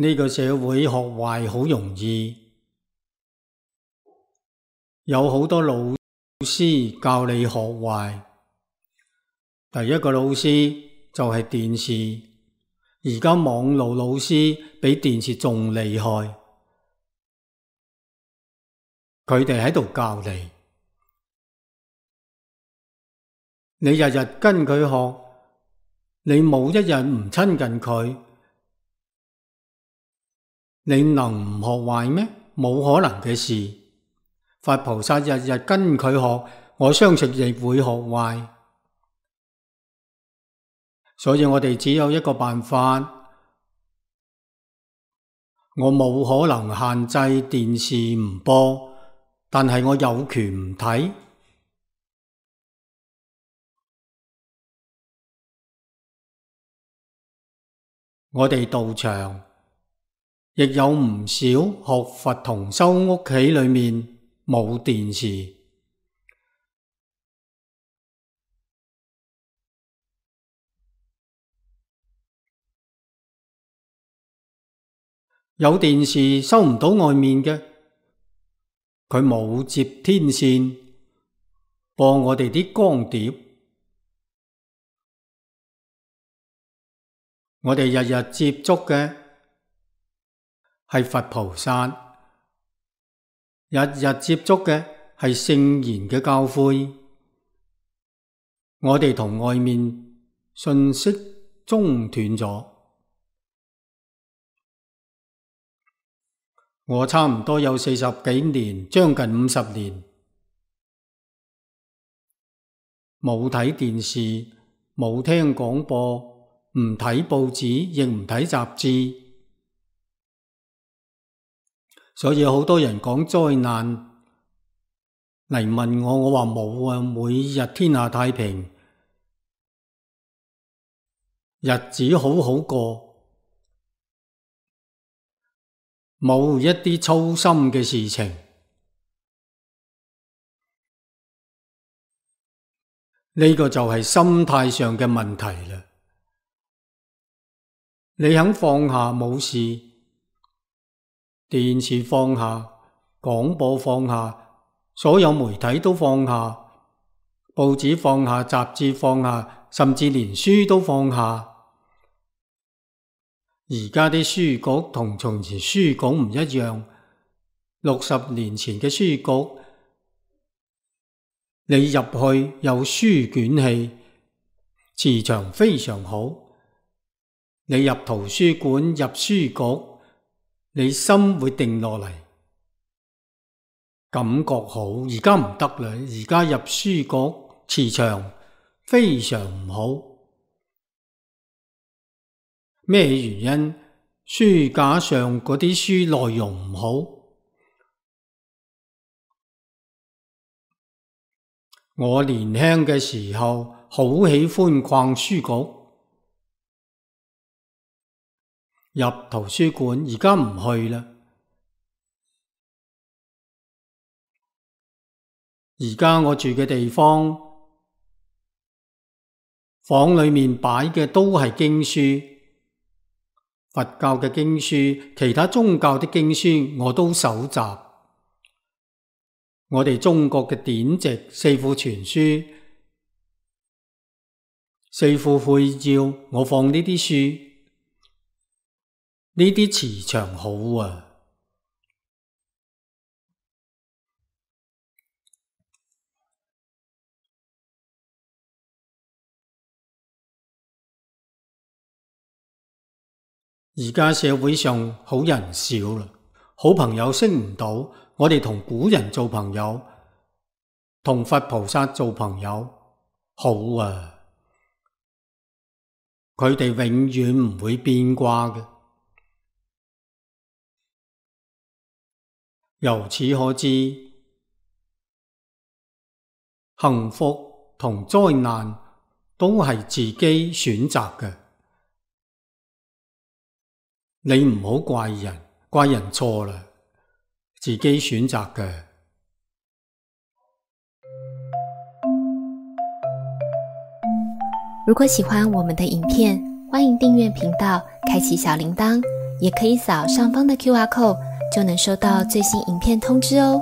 呢個社會學壞好容易，有好多老師教你學壞。第一個老師就係電視，而家網路老師比電視仲厲害，佢哋喺度教你，你日日跟佢學，你冇一日唔親近佢，你能唔學壞咩？冇可能嘅事。佛菩薩日日跟佢學，我相信亦會學壞。所以我哋只有一個辦法，我冇可能限制電視唔播，但係我有權唔睇。我哋道場亦有唔少學佛同修屋企裏面冇電視，有電視收唔到外面嘅，佢冇接天線播我哋啲光碟，我哋日日接觸嘅係佛菩薩，日日接觸嘅係聖言嘅教誨，我哋同外面信息中斷咗。我差唔多有40幾年，將近50年冇睇電視，冇聽廣播，唔睇報紙，亦唔睇雜誌。所以好多人講災難嚟問我，我話冇啊，每日天下太平，日子好好過，冇一啲操心嘅事情。呢個就係心態上嘅問題啦。你肯放下冇事，電視放下，廣播放下，所有媒體都放下，報紙放下，雜誌放下，甚至連書都放下。而家啲書局同從前書局唔一樣，60年前嘅書局，你入去有書卷氣，磁場非常好。你入圖書館、入書局，你心會定落嚟，感覺好。而家唔得啦，而家入書局磁場非常唔好。咩原因？書架上嗰啲書內容唔好。我年輕嘅時候好喜歡逛書局，入圖書館，而家唔去啦。而家我住嘅地方，房裏面擺嘅都係經書，佛教嘅經書，其他宗教的經書我都搜集。我哋中國嘅典籍、四庫全書、四庫會要，我放呢啲書，呢啲磁場好啊。而家社會上好人少啦，好朋友識唔到，我哋同古人做朋友，同佛菩薩做朋友，好啊！佢哋永遠唔會變卦嘅。由此可知，幸福同災難都係自己選擇嘅。你唔好怪人，怪人錯啦，自己選擇嘅。如果喜歡我們的影片，歡迎訂閱頻道，開啟小鈴鐺，也可以扫上方的 QR code，就能收到最新影片通知哦。